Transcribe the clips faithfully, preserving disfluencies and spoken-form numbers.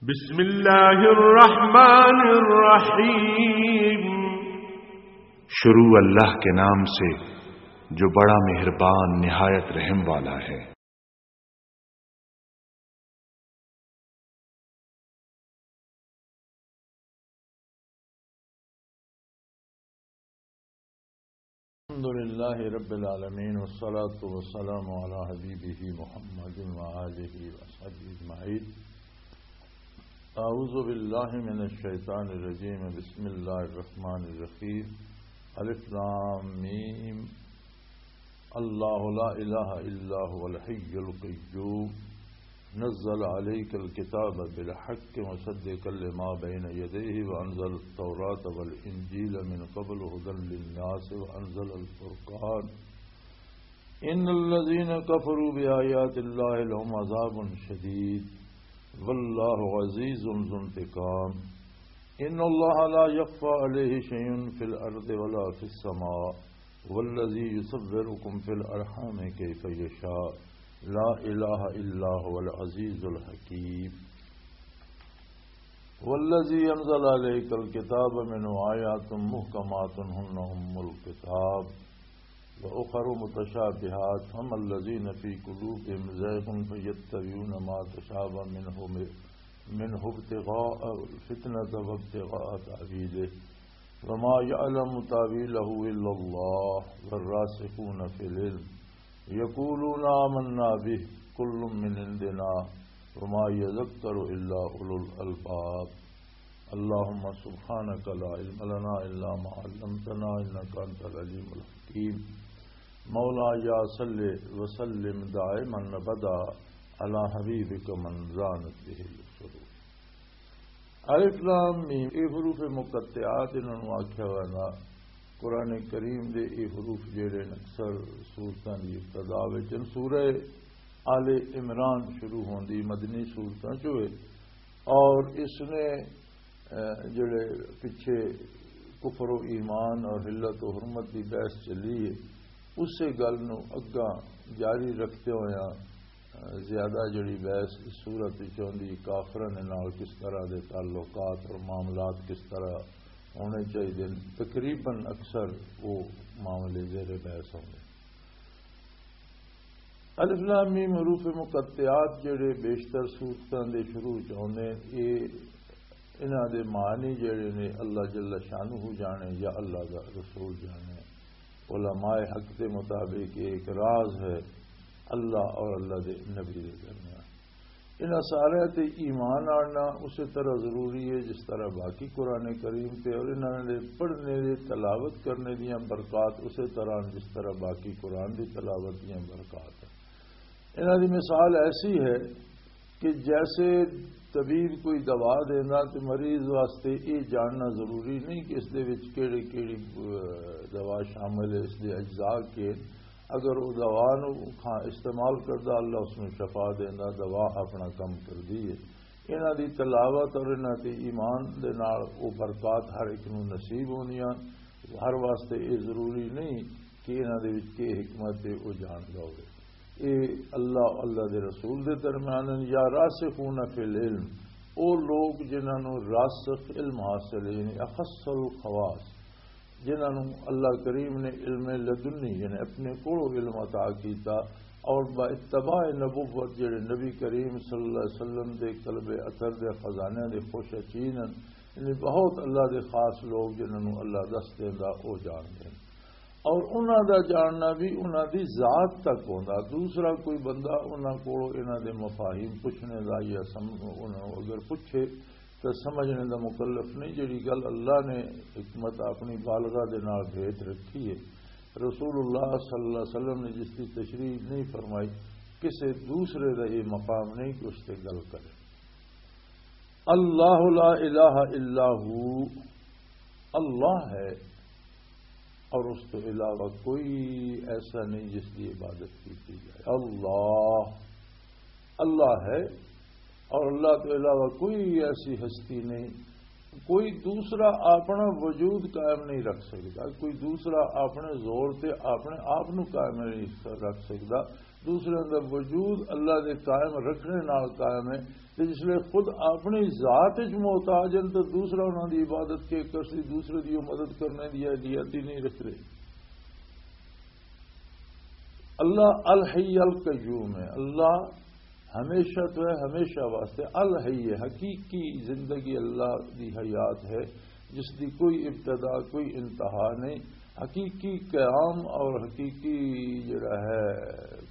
بسم اللہ الرحمن الرحیم۔ شروع اللہ کے نام سے جو بڑا مہربان نہایت رحم والا ہے۔ الحمد لله رب العالمين، والصلاة والسلام على حبيبه محمد وآله وصحبه أجمعين. أعوذ بالله من الشيطان الرجيم. بسم الله الرحمن الرحيم. الف لام ميم. الله لا إله إلا هو الحي القيوم. نزل عليك الكتاب بالحق مصدقا لما بين يديه وأنزل التوراة والإنجيل من قبل هدى للناس وأنزل الفرقان. إن الذين كفروا بآيات الله لهم عذاب شديد والله عزيز ذو انتقام. إن الله لا يخفى عليه شيء في الأرض ولا في السماء والذي يصوركم في الأرحام كيف يشاء. لا إله إلا هو العزيز الحكيم. والذي أنزل عليك الكتاب منه آيات محكمات هن أم الكتاب وأخر متشابهات فأما الذين في قلوبهم زيغ فيتبعون ما تشابه منه منه ابتغاء الفتنة وابتغاء تأويله وما يعلم تأويله إلا الله والراسخون في العلم يقولون آمنا به كل من عندنا وما يذكر إلا أولو الألباب. اللهم سبحانك لا علم لنا إلا ما علمتنا إنك أنت العليم الحكيم. مولاي صل وسلم دائما أبدا على حبيبك من زانت به الصدور. الف لام میم، یہ حروف مقطعات، انہاں نوں آکھیا ویندا۔ قرآن کریم دے یہ حروف جڑے نے اکثر سورتاں دی ابتدا وچ ہن۔ سورہ آل عمران شروع ہوندی، مدنی سورتاں چوں ہے، اور اس نے، اے، جڑے پچھے کفر و ایمان اور حلت و حرمت دی بحث چلی ہے، اسے گل نوں اگاں جاری رکھتے ہوئے زیادہ جڑی بحث اس صورت وچ ہوندی، کافراں دے نال کس طرح دے تعلقات اور معاملات کس طرح ہونے چاہیے، تقریباً اکثر وہ معاملے زیر بحث ہوندے۔ الف لام میم حروف مقطعات جڑے بیشتر صورتاں دے شروع وچ ہوندے، اے انہاں دے معنی جڑے نے اللہ جل شانہ جانے یا اللہ دا رسول جانے۔ علماء حق دے مطابق یہ ایک راز ہے اللہ اور اللہ دے نبی دے درمیان۔ انہاں سارے تے ایمان آنا اسی طرح ضروری ہے جس طرح باقی قرآن کریم تے، اور انہاں دے پڑھنے دے، تلاوت کرنے دیاں برکات اسی طرح جس طرح باقی قرآن دی تلاوت دیاں برکات ہیں۔ انہاں دی مثال ایسی ہے کہ جیسے طبیب کوئی دوا دینا تے مریض واسطے یہ جاننا ضروری نہیں کہ اس دے وچ کیڑی کیڑی، اہ، دوا شامل ہے، اس دے اجزاء کے۔ اگر وہ دوا نو کھا-، استعمال کردا، اللہ اس نو شفا دیندا، دوا اپنا کم کردی ہے۔ انہاں دی تلاوت اور انہاں تے ایمان دے نال وہ برکات ہر ایک نو نصیب ہونیاں۔ ہر واسطے یہ ضروری نہیں کہ انہاں دے وچ کی حکمت ہے، وہ جاندا ہوئے۔ اے اللہ، اللہ دے رسول دے درمیان ہیں، یا راسخون فی العلم، او لوگ جنہاں نوں راسخ علم حاصل ہے، یعنی اخص الخواص، جنہاں نوں اللہ کریم نے علم لدنی، یعنی اپنے کولوں علم عطا کیتا، اور با اتباع نبوت جڑے نبی کریم صلی اللہ علیہ وسلم دے قلب اثر دے خزانے دے خوش اچین ہیں، یعنی بہت اللہ دے خاص لوگ جنہاں نوں اللہ دس دیندا، او جان دین۔ اور انہاں دا جاننا بھی انہاں دی ذات تک ہوندا۔ دوسرا کوئی بندہ انہاں کولوں انہاں دے مفاہیم پوچھنے دا یا سم-، انہاں نوں اگر پوچھے تو سمجھنے دا مکلف نہیں۔ جڑی گل اللہ نے حکمت اپنی بالغہ دے نال بھیج رکھی ہے، رسول اللہ صلی اللہ علیہ وسلم نے جس کی تشریح نہیں فرمائی، کسے دوسرے دا یہ مقام نہیں کہ اس تے گل کرے۔ اللہ لا الہ الا ہو، اللہ ہے اور اس کے علاوہ کوئی ایسا نہیں جس کی عبادت کی جائے۔ اللہ، اللہ ہے اور اللہ کے علاوہ کوئی ایسی ہستی نہیں، کوئی دوسرا اپنا وجود قائم نہیں رکھ سکتا، کوئی دوسرا اپنے زور تے اپنے آپ نو قائم نہیں رکھ سکتا۔ دوسرے دا وجود اللہ دے قائم رکھنے نال قائم ہے۔ تے جس لئے خود اپنی ذات وچ محتاج ہیں تو دوسرا انہاں دی عبادت کے کرسی، دوسرے دی وہ مدد کرنے دی اہلیت ہی نہیں رکھ رہے۔ اللہ الحی القیوم ہے۔ اللہ ہمیشہ تو ہے، ہمیشہ واسطے۔ الحی ہے، حقیقی زندگی اللہ دی حیات ہے، جس دی کوئی ابتدا، کوئی انتہا نہیں۔ حقیقی قیام اور حقیقی جڑا ہے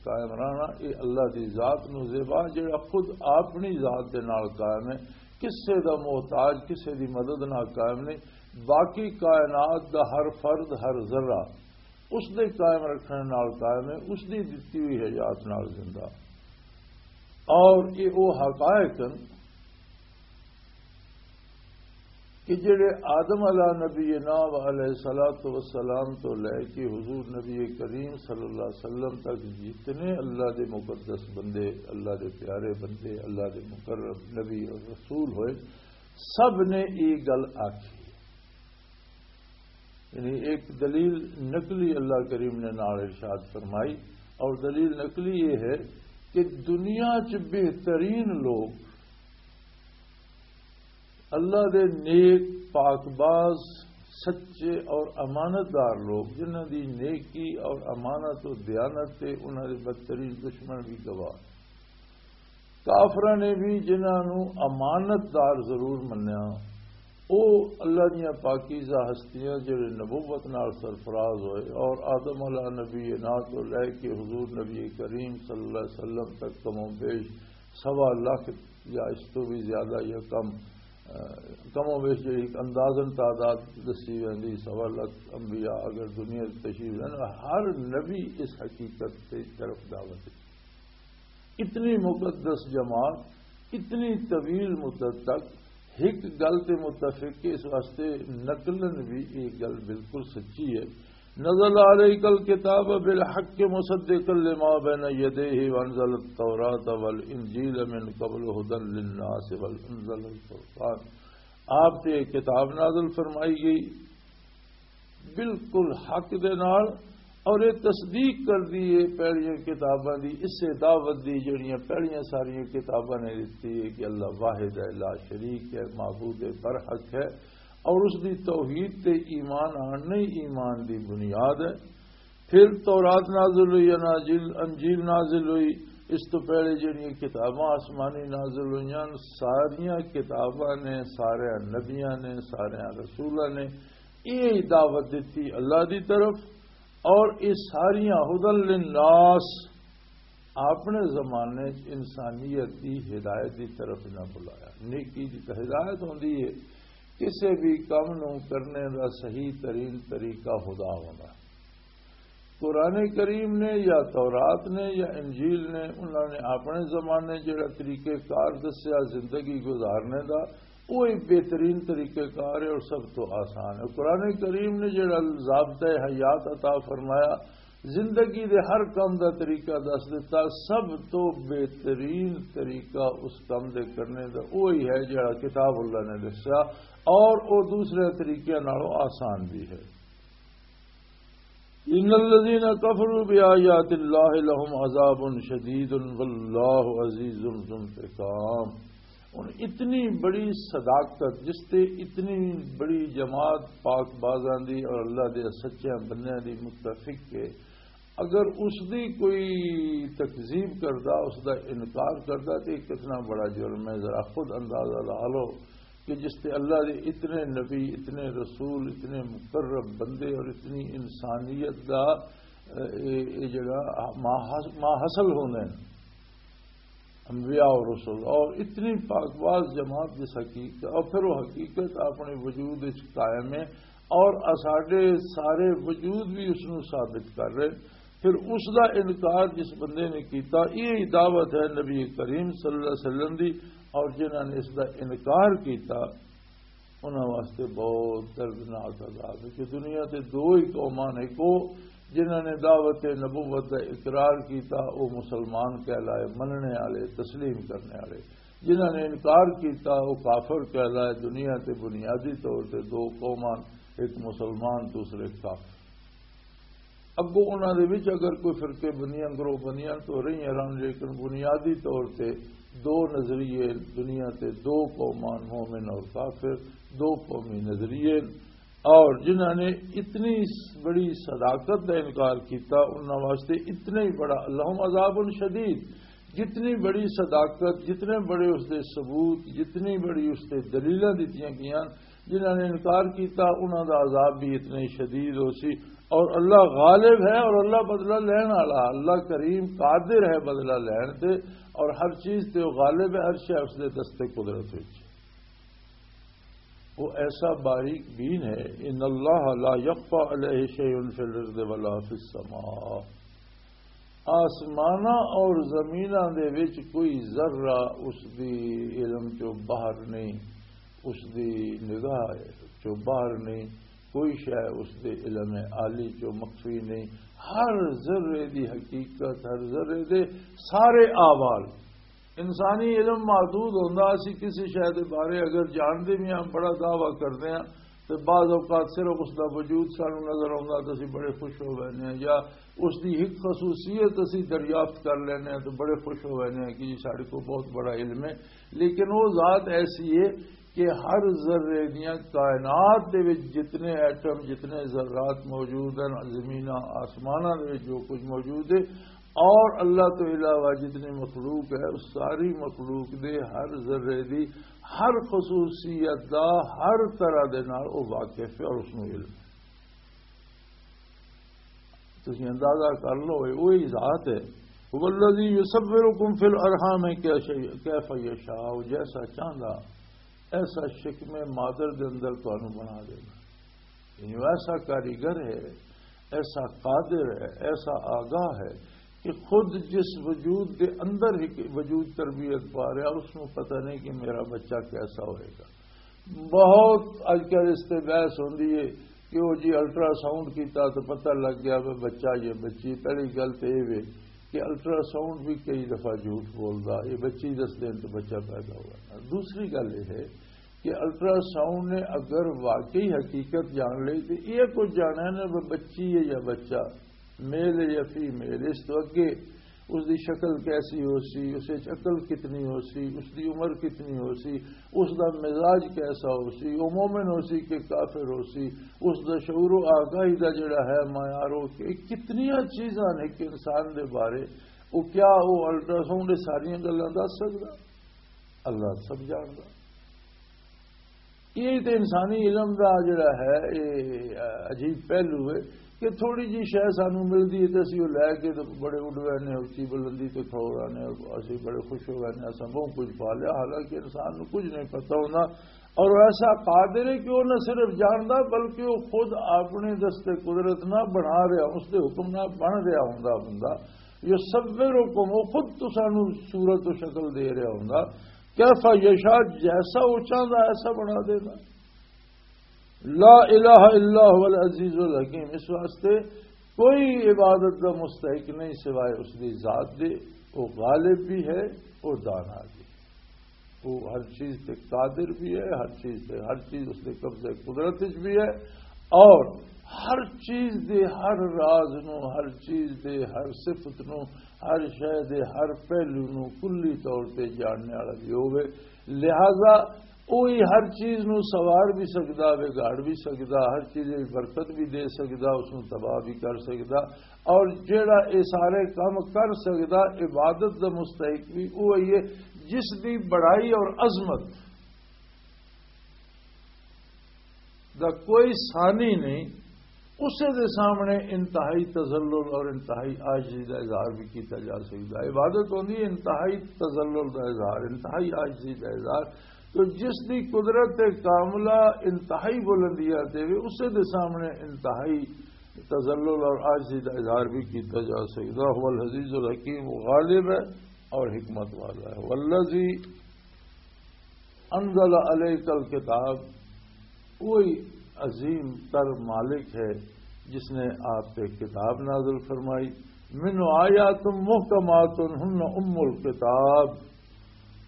قائم رہنا، یہ اللہ دی ذات نو زیبا، جڑا خود اپنی ذات دے نال قائم ہے، کسے دا محتاج، کسے دی مدد نال قائم نہیں۔ باقی کائنات دا ہر فرد، ہر ذرہ اس دے قائم رکھنے نال قائم ہے، اس دی دتی ہوئی حیات نال زندہ۔ اور یہ وہ حقائق ہیں کہ جڑے آدم علیہ نبی نام علیہ الصلوۃ والسلام تو لے کے حضور نبی کریم صلی اللہ علیہ وسلم تک جتنے اللہ دے مقدس بندے، اللہ دے پیارے بندے، اللہ دے مقرب نبی اور رسول ہوئے، سب نے یہ گل آکھی۔ یعنی ایک دلیل نقلی اللہ کریم نے نال ارشاد فرمائی، اور دلیل نقلی یہ ہے کہ دنیا چ بہترین لوگ اللہ دے نیک، پاک باز، سچے اور امانت دار لوگ، جنہاں دی نیکی اور امانت و دیانت تے انہاں دے بدترین دشمن بھی گواہ۔ کافراں نے بھی جنہاں نوں امانت دار ضرور منیا، او اللہ دیاں پاکیزہ ہستیاں جڑے نبوت نال سرفراز ہوئے اور آدم علیہ نبی نا تو لے کے حضور نبی کریم صلی اللہ علیہ وسلم تک کم و بیش سوا لاکھ یا اس تو بھی زیادہ یا کم، کم و بیش جڑی اندازن تعداد دسی ویندی، سوا لاکھ انبیاء اگر دنیا وچ تشریف لین، ہر نبی اس حقیقت تے طرف دعوت ہے۔ اتنی مقدس جماعت اتنی طویل مدت تک ایک گل تے متفق کہ اس واسطے نقلن بھی یہ گل بالکل سچی ہے۔ نزل علیک الکتاب بالحق مصدقا لما بین یدیہ وانزل التوراۃ والانجیل من قبل ھدی للناس وانزل الفرقان۔ آپ تے کتاب نازل فرمائی گئی بالکل حق دے نال، اور یہ تصدیق کر دی ہے پہلیاں کتاباں دی، اسے دعوت دی جڑیاں پہلیاں ساریاں کتاباں نے دتی ہے کہ اللہ واحد ہے، لا شریک ہے، معبود برحق ہے، اور اس دی توحید تے ایمان آن نہیں ایمان دی بنیاد ہے۔ پھر تورات نازل ہوئی، اناجیل، انجیل نازل ہوئی، اس تو پہلے جڑیاں کتاباں آسمانی نازل ہوئیاں، ساریاں کتاباں نے، سارے نبیاں نے، سارے رسولاں نے یہ دعوت دیتی اللہ دی طرف، اور یہ ساریاں ھدی للناس، اپنے زمانے چ انسانیت دی ہدایت دی طرف نہ بلایا۔ نیکی دی تے ہدایت ہوندی ہے، کسے بھی کم نو کرنے دا صحیح ترین طریقہ خدا ہونا۔ قرآن کریم نے یا تورات نے یا انجیل نے، انہاں نے اپنے زمانے جڑا طریقہ کار دسیا زندگی گزارنے دا، وہ ایک بہترین طریقہ کار ہے اور سب تو آسان ہے۔ قرآن کریم نے جڑا ضابطہ حیات عطا فرمایا، زندگی دے ہر کام دا طریقہ دس دیتا، سب تو بہترین طریقہ اس کام دے کرنے دا وہی ہے جڑا کتاب اللہ نے دسیا، اور وہ دوسرے طریقے نالوں آسان بھی ہے۔ ان الذين كفروا بآيات الله لهم عذاب شديد والله عزيز ذو انتقام۔ ہن اتنی بڑی صداقت، جس تے اتنی بڑی جماعت پاک بازاں دی اور اللہ دے سچے بندیاں دی متفق ہے، اگر اس دی کوئی تکذیب کردا، اس دا انکار کردا، تے کتنا بڑا جرم ہے۔ ذرا خود اندازہ لا لو کہ جس تے اللہ دے اتنے نبی، اتنے رسول، اتنے مقرب بندے اور اتنی انسانیت دا، اے، اے جڑا ما حاص-، ما حاصل ہوندے نے انبیاء اور رسول، اور اتنی پاک باز جماعت جس حقیقت، اور پھر وہ حقیقت اپنے وجود وچ قائم ہے، اور اساڈے سارے وجود بھی اس نو ثابت کر رہے۔ پھر اس دا انکار جس بندے نے کیتا، یہ دعوت ہے نبی کریم صلی اللہ علیہ وسلم دی، اور جنہاں نے اس دا انکار کیتا، انہاں واسطے بہت دردناک عذاب ہے کہ دنیا تے دو ہی قوماں نے، کو جنہاں نے دعوت نبوت دا اقرار کیتا، وہ مسلمان کہلائے، مننے والے، تسلیم کرنے والے، جنہاں نے انکار کیتا، وہ کافر کہلائے۔ دنیا تے بنیادی طور تے دو قوماں، ایک مسلمان، دوسرے کافر۔ اگوں انہاں دے وچ اگر کوئی فرقے بنیاں، گروہ بنیاں تو رہیاں رہن، لیکن بنیادی طور تے دو نظریے دنیا تے، دو قومان، مومن اور کافر، دو قومی نظریے۔ اور جنہاں نے اتنی بڑی صداقت کا انکار کیتا، انہاں واسطے اتنا ہی بڑا، لہم عذاب شدید، جتنی بڑی صداقت، جتنے بڑے اس دے ثبوت، جتنی بڑی اس دے دلیلاں دتیاں گئیاں، جنہاں نے انکار کیتا، انہاں دا عذاب بھی اتنا ہی شدید ہو سی۔ اور اللہ غالب ہے اور اللہ بدلہ لین والا، اللہ کریم قادر ہے بدلہ لین تے، اور ہر چیز تے وہ غالب ہے، ہر شے اس دے دستے قدرت وچ۔ وہ ایسا باریک بین ہے، ان اللہ لا یخفی علیہ شیء فی الارض ولا فی السماء۔ آسماناں اور زمیناں دے وچ کوئی ذرہ اس دی علم چوں باہر نہیں، اس دی نگاہ چوں باہر نہیں، کوئی شے اس دے علم عالی چوں مخفی نہیں۔ ہر ذرے دی حقیقت، ہر ذرے دے سارے احوال، انسانی علم محدود ہوندا، اسی کسی شے دے بارے اگر جانتے بھی ہاں، بڑا دعویٰ کرتے ہیں، تو بعض اوقات صرف اس دا وجود سانو نظر آوندا تو اسی بڑے خوش ہو وینے ہیں، یا اس دی ایک خصوصیت اسی دریافت کر لینے ہیں تو بڑے خوش ہو وینے ہیں کہ جی ساڈے کو بہت بڑا علم ہے۔ لیکن وہ ذات ایسی ہے کہ ہر ذرے دیاں کائنات دے وچ جتنے ایٹم، جتنے ذرات موجود ہیں، زمیناں آسماناں دے وچ جو کچھ موجود ہے، اور اللہ تو علاوہ جتنی مخلوق ہے، اس ساری مخلوق دے ہر ذرے دی، ہر خصوصیت دا، ہر طرح دے نال او واقف ہے اور اس نوں علم ہے۔ تسی اندازہ کر لو، اے وہی ذات ہے۔ هو الذی یصورکم فی الارحام کیف یشاء، جیسا چاہندا ایسا شکم مادر دے اندر تانوں بنا دینا۔ یعنی وہ ایسا کاریگر ہے، ایسا قادر ہے، ایسا آگاہ ہے کہ خود جس وجود دے اندر ہی وجود تربیت پا رہا، اس کو پتہ نہیں کہ میرا بچہ کیسا ہوئے گا۔ بہت اج کل اس تے بحث ہوندی ہے کہ وہ جی الٹرا ساؤنڈ کیتا تو پتہ لگ گیا وہ بچہ یا بچی۔ پہلی گل تو یہ وے کہ الٹرا ساؤنڈ بھی کئی دفعہ جھوٹ بولدا، یہ بچی دس دن تو بچہ پیدا ہوا۔ دوسری گل یہ ہے کہ الٹرا ساؤنڈ نے اگر واقعی حقیقت جان لئی تو یہ کچھ جانا ہے نا، وہ بچی ہے یا بچہ، میل ہے یا فیمیل، اس تو اگے اس دی شکل کیسی ہو سی، اس وچ عقل کتنی ہو سی، اس دی عمر کتنی ہو سی، اس دا مزاج کیسا ہو سی، وہ مومن ہو سی کہ کافر ہو سی، اس دا شعور و آگاہی دا جڑا ہے معیار، وہ کہ کتنیاں چیزاں نے کہ انسان دے بارے، وہ کیا وہ الٹرا ساؤنڈ یہ ساریاں گلاں دس سکدا؟ اللہ سب جاندا۔ یہ تے انسانی علم دا جڑا ہے، یہ عجیب پہلو ہے کہ تھوڑی جی شے سانو ملدی ہے تے اسی وہ لے کے تے بڑے اڈ وینے، اچھی بلندی تے کھڑو رہنے، اسی بڑے خوش ہو وینے، اساں بہت کچھ پا لیا، حالانکہ انسان نو کچھ نہیں پتہ ہونا۔ اور ایسا قادر ہے کہ وہ نہ صرف جاندا بلکہ وہ خود اپنے دستے قدرت نہ بنا رہا، اس دے حکم نہ بن رہا ہوندا بندہ۔ یصورکم، وہ خود تسانو صورت و شکل دے رہا ہوندا، کیف یشاء، جیسا وہ چاہندا ایسا بنا دینا۔ لا الہ الا هو العزیز الحکیم، اس واسطے کوئی عبادت دا مستحق نہیں سوائے اس دی ذات دے۔ وہ غالب بھی ہے، وہ دانا بھی ہے، وہ ہر چیز تے قادر بھی ہے، ہر چیز تے، ہر چیز اس دے قبضے قدرت وچ بھی ہے، اور ہر چیز دے ہر راز نو، ہر چیز دے ہر صفت نو، ہر شے دے ہر پہلو نو کلی طور تے جاننے والا بھی ہوے۔ لہذا وہی ہر چیز نو سوار بھی سکدا، وگاڑ بھی سکدا، ہر چیز وچ برکت بھی دے سکدا، اس نو تباہ بھی کر سکدا۔ اور جیڑا اے سارے کم کر سکدا، عبادت دا مستحق بھی وہی ہے، جس دی بڑائی اور عظمت دا کوئی ثانی نہیں، اسے دے سامنے انتہائی تذلل اور انتہائی عاجزی دا اظہار بھی کیتا جا سکدا ہے۔ عبادت ہوندی ہے انتہائی تذلل دا اظہار، انتہائی عاجزی دا اظہار۔ تو جس دی قدرت کاملہ انتہائی بلندیاں تے وے، اسے دے سامنے انتہائی تذلل اور عاجزی دا اظہار بھی کیتا جا سکدا۔ هو العزیز الحکیم، وہ غالب ہے اور حکمت والا ہے۔ والذی انزل علیک الکتاب، وہی عظیم تر مالک ہے جس نے آپ پہ کتاب نازل فرمائی۔ منہ آیات محکمات ہن ام الکتاب،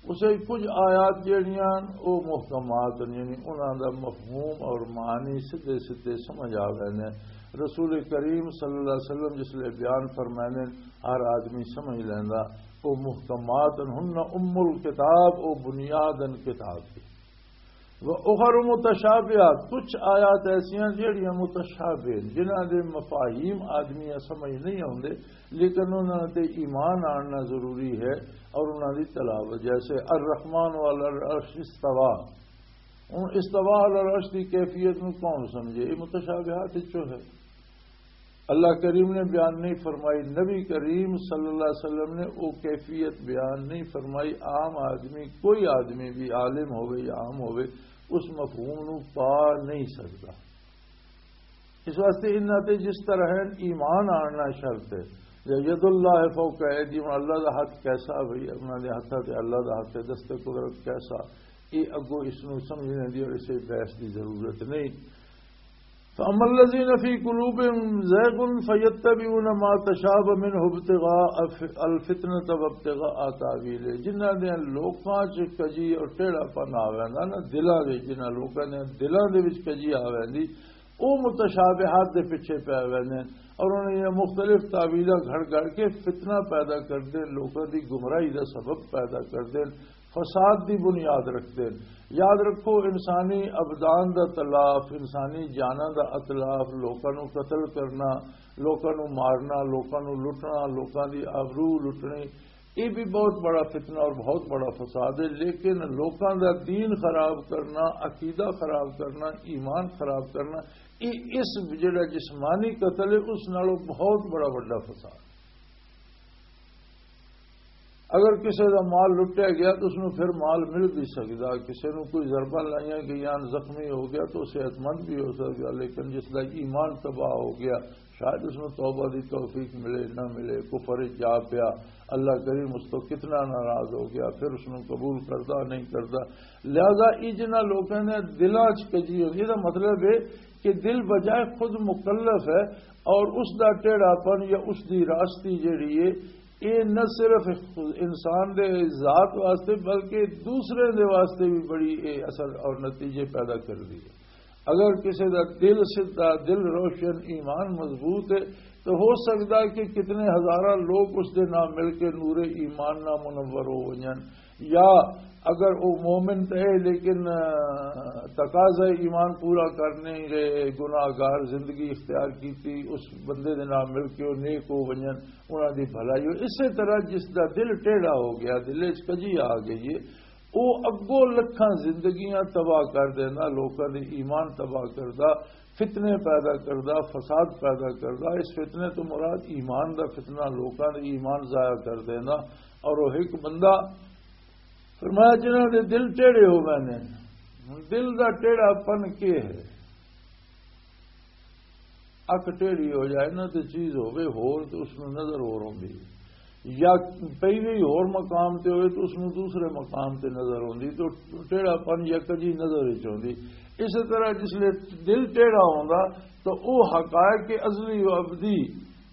اسے کچھ آیات جہڑیاں او محکمات نے، یعنی انہاں دا مفہوم اور معنی سدھے سدھے سمجھ آ ویندے۔ رسول کریم صلی اللہ علیہ وسلم جس لئے بیان فرمائے نے، ہر آدمی سمجھ لیندا۔ او محکمات ہن ام الکتاب، او بنیاد ان کتاب دی۔ و اخر متشابہات، کچھ آیات ایسیاں جہڑیاں متشابہ ہیں، جنہاں دے مفاہیم آدمی سمجھ نہیں آوندے، لیکن انہاں تے ایمان آننا ضروری ہے اور انہاں دی تلاوت۔ جیسے الرحمن علی العرش استویٰ، ہن استویٰ علی العرش دی کیفیت نو کون سمجھے؟ یہ متشابہات وچوں ہے۔ اللہ کریم نے بیان نہیں فرمائی، نبی کریم صلی اللہ علیہ وسلم نے وہ کیفیت بیان نہیں فرمائی۔ عام آدمی، کوئی آدمی بھی عالم ہوئے یا عام ہوئے، اس مفہوم نو پا نہیں سکتا۔ اس واسطے انہاں تے جس طرح ایمان آننا شرط ہے، یا ید اللہ فوق ایدیہم، اللہ دا ہاتھ کیسا بھئی، انہاں دے ہاتھاں تے اللہ دا ہاتھ ہے، دست قدرت کیسا، یہ اگوں اس نو سمجھنے دی اور اسے بحث دی ضرورت نہیں۔ فَأَمَّا الَّذِينَ فِي قُلُوبِهِمْ زَيْغٌ فَيَتَّبِعُونَ مَا تَشَابَهَ مِنْهُ ابْتِغَاءَ الْفِتْنَةِ وَابْتِغَاءَ تَأْوِيلِهِ، جنہاں دے لوکاں چ کجی اور ٹیڑھا پن آ ویندا نا، دلاں دے، جنہاں لوکاں دے دلاں دے وچ کجی آ ویندی، او متشابہات دے پیچھے پے ویندے اور انہاں دیاں مختلف تاویلاں گھڑ گھڑ کے فتنہ پیدا کردے، لوکاں دی گمراہی دا سبب پیدا کردے، فساد دی بنیاد رکھدے۔ یاد رکھو، انسانی ابدان دا تلاف، انسانی جاناں دا اتلاف، لوکاں نوں قتل کرنا، لوکاں نوں مارنا، لوکاں نوں لٹنا، لوکاں دی آبرو لٹنی، یہ بھی بہت بڑا فتنہ اور بہت بڑا فساد ہے۔ لیکن لوکاں دا دین خراب کرنا، عقیدہ خراب کرنا، ایمان خراب کرنا، یہ اس جڑا جسمانی قتل ہے، اس نالوں بہت بڑا وڈا فساد۔ اگر کسی دا مال لٹیا گیا تو اس نوں پھر مال مل بھی سکدا، کسی نوں کوئی ضربہ لائیاں گئیاں، زخمی ہو گیا تو صحت مند بھی ہو سکدا، لیکن جس دا ایمان تباہ ہو گیا، شاید اس نوں توبہ دی توفیق ملے نہ ملے، کفر وچ جا پیا، اللہ کریم اس تو کتنا ناراض ہو گیا، پھر اس نوں قبول کردا نہیں کردا۔ لہذا یہ جنہاں لوکاں نے دلاں چ کجی ہوندی، یہ دا مطلب ہے کہ دل بجائے خود مکلف ہے، اور اس دا ٹیڑھا پن یا اس دی راستی جڑی ہے، یہ نہ صرف انسان دے ذات واسطے بلکہ دوسرے دے واسطے بھی بڑی یہ اثر اور نتیجے پیدا کردی ہے۔ اگر کسی دا دل سدھا، دل روشن، ایمان مضبوط ہے، تو ہو سکدا ہے کہ کتنے ہزاراں لوگ اس دے نال مل کے نور ایمان نال منور ہو ونجن۔ یا اگر وہ مومن تے ہے لیکن، آ، تقاضا ایمان پورا کرنے گئے، گناہ گار زندگی اختیار کیتی، اس بندے دے نال مل کے وہ نیک ہو ونجن، انہاں دی بھلائی ہو۔ اسی طرح جس دا دل ٹیڑھا ہو گیا، دل وچ کجی آ گئی ہے، او اگوں لکھاں زندگیاں تباہ کر دیندا، لوکاں دے ایمان تباہ کردا، فتنے پیدا کردا، فساد پیدا کردا۔ اس فتنے تو مراد ایمان دا فتنہ، لوکاں دے ایمان ضائع کر دیندا۔ اور وہ ایک بندہ، فرمایا، جنہاں دے دل ٹیڑھے ہو گئے نے۔ ہن دل دا ٹیڑھا پن کی ہے؟ اک ٹیڑھی ہو جائے نا، تے چیز ہوے ہور، تے اس نوں نظر ہور ہوندی ہے۔ یا پئی وی ہور مقام تے ہوئے، تے اس نوں دوسرے مقام تے نظر ہوندی، تے ٹیڑھا پن یا کجی نظر وچ ہوندی۔ اسی طرح جس لے دل ٹیڑھا ہوندا، تو او حقائق ازلی و ابدی،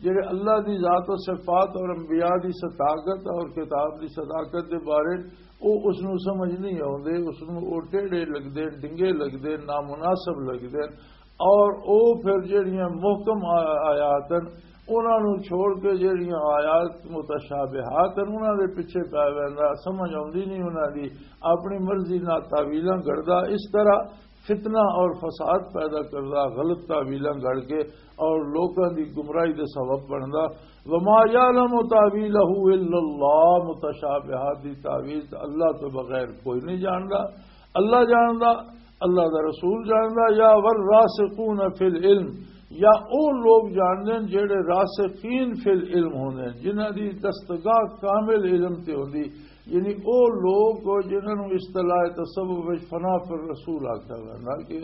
جڑے اللہ دی ذات و صفات اور انبیاء دی صداقت اور کتاب دی صداقت دے بارے، او اس نوں سمجھ نہیں آوندے، اس نوں او ٹیڑھے لگدے، ڈنگے لگدے، نامناسب لگدے۔ اور او پھر جڑیاں محکم آ-، آیات ہن، انہاں نوں چھوڑ کے جڑیاں آیات متشابہات ہن، انہاں دے پیچھے پے ویندا، سمجھ آوندی نہیں انہاں دی، اپنی مرضی نال تاویلاں گھڑدا، اس طرح فتنہ اور فساد پیدا کردا، غلط تاویلاں گھڑ کے اور لوکاں دی گمراہی دے سبب بندا۔ وما یعلم تاویلہ الا اللہ، متشابہات دی تاویل تے اللہ تو بغیر کوئی نہیں جاندا۔ اللہ جاندا، اللہ دا رسول جاندا، یا والراسخون فی العلم، یا او لوگ جاندے نے جڑے راسخین فی العلم ہوندے نے، جنہاں دی دستگاہ کامل علم تے ہوندی، یعنی او لوگ جنہاں نوں اصطلاح تصوف وچ فنا فی الرسول آکھیا ویندا کہ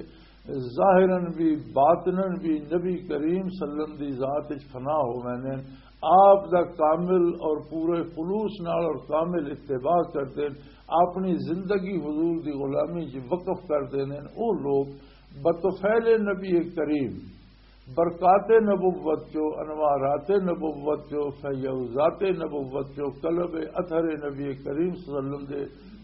ظاہراً بھی باطناً بھی نبی کریم صلی اللہ علیہ وسلم دی ذات وچ فنا ہو ویندے نے، آپ دا کامل اور پورے خلوص نال اور کامل اتباع کردے نے، اپنی زندگی حضور دی غلامی 'چ وقف کر دیندے نے۔ او لوگ بطفیل نبی کریم، برکات نبوت چو، انوارات نبوت چو، فیوزات نبوت چو، قلب اثر نبی کریم صلی اللہ علیہ وسلم دے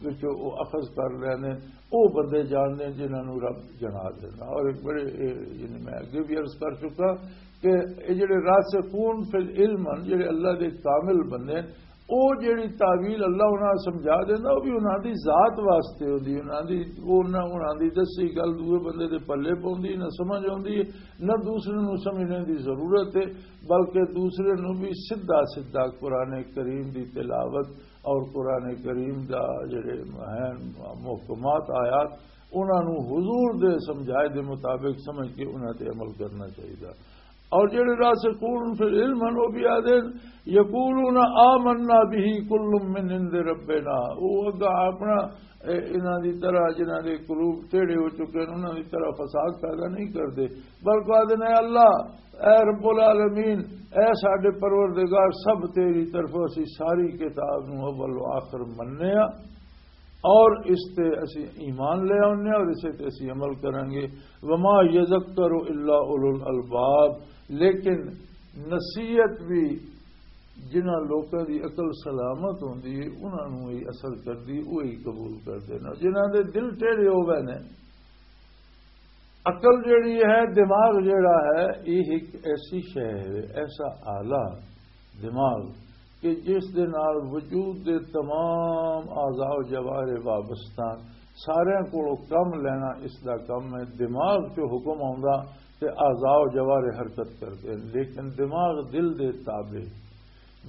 وچوں او اخذ کر لینے۔ او بندے جاننے جنہاں نوں رب جنا دینا۔ اور ایک بڑے، اے، یعنی میں اگے بھی عرض کر چکا کہ اے جڑے راسخون فی العلم ہن، جڑے اللہ دے کامل بندے ہن، او جڑی تعویل اللہ انہاں نوں سمجھا دیندا، او بھی انہاں دی ذات واسطے ہوندی، انہاں دی، او انہاں، انہاں دی دسی گل دوے بندے دے پلے پوندی، نہ سمجھ آوندی، نہ دوسرے نوں سمجھنے دی ضرورت ہے، بلکہ دوسرے نوں بھی سیدھا سیدھا قرآن کریم دی تلاوت اور قرآن کریم دا جڑے ہیں محکمات آیات، انہاں نوں حضور دے سمجھائے دے مطابق سمجھ کے انہاں تے عمل کرنا چاہیے۔ اور جڑے راسخون فی العلم ہن، وہ بھی آدھے، یقولون آمنا به کل من عند ربنا۔ وہ اگا اپنا، اے، انہاں دی طرح، جنہاں دے قلوب ٹیڑھے ہو چکے ہیں، انہاں دی طرح فساد پیدا نہیں کردے، بلکہ آدھے نے، "اللہ، اے رب العالمین، اے ساڈے پروردگار، سب تیری طرفوں، اسی ساری کتاب نوں اول و آخر مننے آ اور اس تے اسی ایمان لے آنے اور اسے تے اسی عمل کریں گے۔" وما یذکر الا اولو الالباب، لیکن نصیحت بھی جنہاں لوکاں دی عقل سلامت ہوندی ہے، انہاں نوں ہی اثر کردی، وہی قبول کردے نے۔ جنہاں دے دل ٹیڑھے ہو گئے نے، عقل جڑی ہے، دماغ جڑا ہے، یہ ایک ایسی شے ہے، ایسا آلہ دماغ کہ جس دے نال وجود دے تمام اعضاء و جوارح وابستہ، سارے کولوں کم لینا اس دا کم ہے۔ دماغ چوں حکم آوندا تے اعضاء و جوارح حرکت کردے ہیں، لیکن دماغ دل دے تابع۔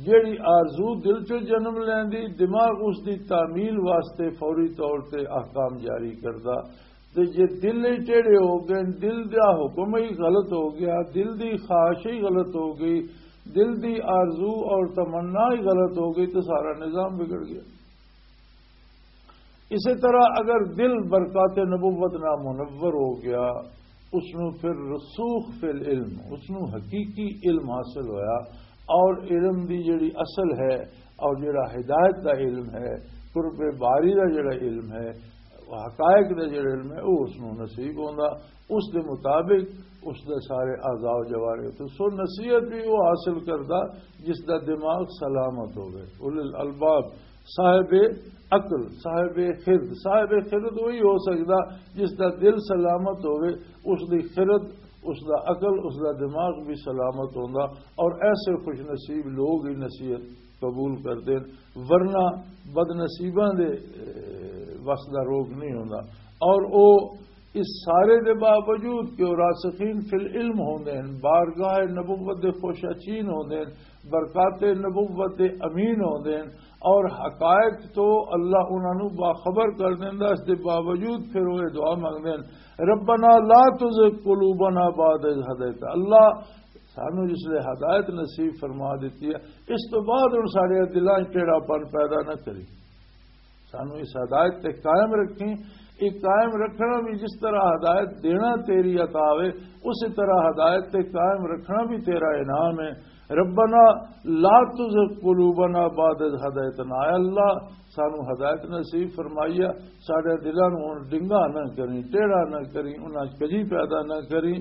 جیڑی آرزو دل چوں جنم لیندی، دماغ اس دی تعمیل واسطے فوری طور تے احکام جاری کردا۔ تے جے دل ہی ٹیڑھے ہو گئے، دل دا حکم ہی غلط ہو گیا، دل دی خواہش ہی غلط ہو گئی، دل دی آرزو اور تمنا ہی غلط ہو گئی، تو سارا نظام بگڑ گیا۔ اسی طرح اگر دل برکات نبوت نہ منور ہو گیا، اس نو پھر رسوخ فی العلم، اس نو حقیقی علم حاصل ہویا، اور علم دی جڑی اصل ہے اور جڑا ہدایت دا علم ہے، قرب باری دا جڑا علم ہے، حقائق دا جڑا علم ہے، وہ اس نو نصیب ہوندا، اس دے مطابق اس دے سارے اعضاء و جوارح تو۔ سو نصیحت بھی وہ حاصل کردا جس دا دماغ سلامت ہوے۔ اولل الباب، صاحب عقل، صاحب خرد، صاحب خرد وہی ہو سکدا جس دا دل سلامت ہوے، اس دی خرد، اس دا عقل، اس دا دماغ بھی سلامت ہوندا، اور ایسے خوش نصیب لوگ ہی نصیحت قبول کردے ہن، ورنہ بد نصیباں دے، اے، وس دا روگ نہیں ہوندا۔ اور او اس سارے دے باوجود کہ او راسخین فی العلم ہوندے ہن، بارگاہ نبوت دے خوش اچین ہوندے ہن، برکات نبوت دے امین ہوندے ہن، اور حقائق تو اللہ انہاں نوں باخبر کر دیندا، اس دے باوجود پھر وہ دعا منگدے ہن، "ربنا لا تزغ قلوبنا بعد اذ هدیتنا۔" اللہ، سانو جس لے ہدایت نصیب فرما دیتی ہے، اس تو بعد ہن ساڈے دلاں وچ ٹیڑھا پن پیدا نہ کری۔ سانو اس ہدایت تے قائم رکھیں۔ یہ قائم رکھنا بھی جس طرح ہدایت دینا تیری عطا ہے، اسی طرح ہدایت تے قائم رکھنا بھی تیرا انعام ہے۔ ربنا لا تزغ قلوبنا بعد اذ هدیتنا، اے اللہ، سانو ہدایت نصیب فرمائیا، ساڈے دلاں نوں ہن ڈنگا نہ کریں، ٹیڑھا نہ کریں، انہاں کجی پیدا نہ کریں۔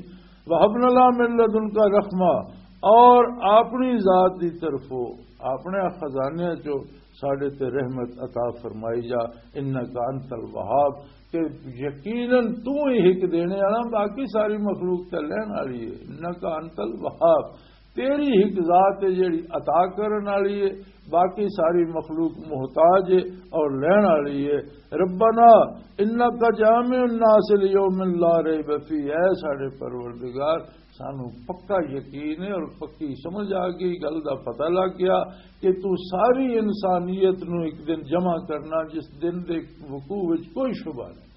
وهب لنا من لدنک رحمہ، اور اپنی ذات دی طرفوں، اپنے خزانے چوں ساڈے تے رحمت عطا فرمائی جا، انک انت الوہاب، کہ یقیناً تو ہی ہک دینے والا، باقی ساری مخلوق تے لین والی ہے۔ انک انت الوہاب، تیری ہک ذات ہے جیڑی عطا کرن والی ہے، باقی ساری مخلوق محتاج ہے اور لین والی ہے۔ ربنا انک جامع الناس لیوم لا ریب فیہ، اے ساڈے پروردگار، سانو پکا یقین ہے اور پکی سمجھ آ گئی، گل دا پتہ لگ گیا کہ تو ساری انسانیت نو ایک دن جمع کرنا، جس دن دے وقوع وچ کوئی شبہ نہیں۔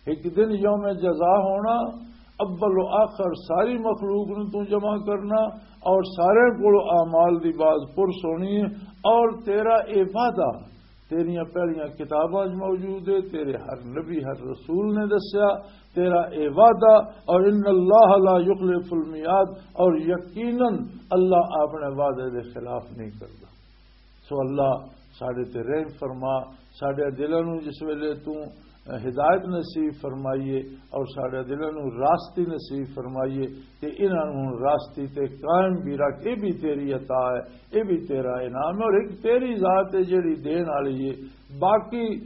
ایک دن یوم جزا ہونا، اول و آخر ساری مخلوق نو تو جمع کرنا، اور سارے کول اعمال دی باز پرس ہونی ہے، اور تیرا اے وعدہ تیریاں پہلیاں کتاباں وچ موجود ہے، تیرے ہر نبی، ہر رسول نے دسیا تیرا اے وعدہ، اور ان اللہ لا یخلف المیعاد، اور یقیناً اللہ اپنے وعدے دے خلاف نہیں کردا۔ سو اللہ ساڈے تے رحم فرما، ساڈے دلاں نوں جس ویلے تو ہدایت نصیب فرمائیے اور ساڈے دلاں نوں راستی نصیب فرمائیے کہ انہاں نوں ہن راستی تے قائم بھی رکھ۔ یہ بھی تیری عطا ہے، یہ بھی تیرا انعام ہے، اور ایک تیری ذات ہے جڑی دین والی ہے۔ باقی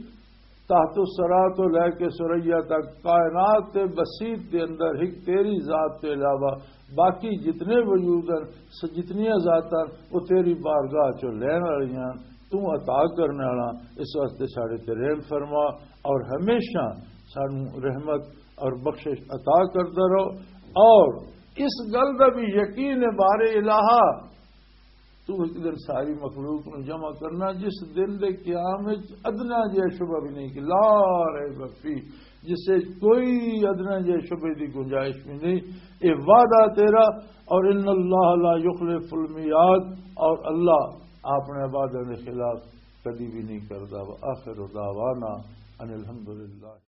تحت الثری تو لے کے ثریا تک کائنات تے بسیط دے اندر ایک تیری ذات تو علاوہ باقی جتنے وجود ہیں، س-، جتنیاں ذاتاں، وہ تیری بارگاہ چوں لین والیاں، تو عطا کرنے والا۔ اس واسطے ساڈے تے رحم فرما اور ہمیشہ سانو رحمت اور بخشش عطا کردا رہو۔ اور اس گل دا بھی یقین ہے، بارے الہا، تو ایک دن ساری مخلوق نو جمع کرنا، جس دن دے قیام وچ ادنا جہا شبہ بھی نہیں، کہ لا ریب فی، جس وچ کوئی ادنا جہے شبے دی گنجائش بھی نہیں۔ یہ وعدہ تیرا، اور ان اللہ لا یخلف المیعاد، اور اللہ اپنے وعدے کے خلاف کدی بھی نہیں کردا۔ وآخر دعوانا ان الحمدللہ۔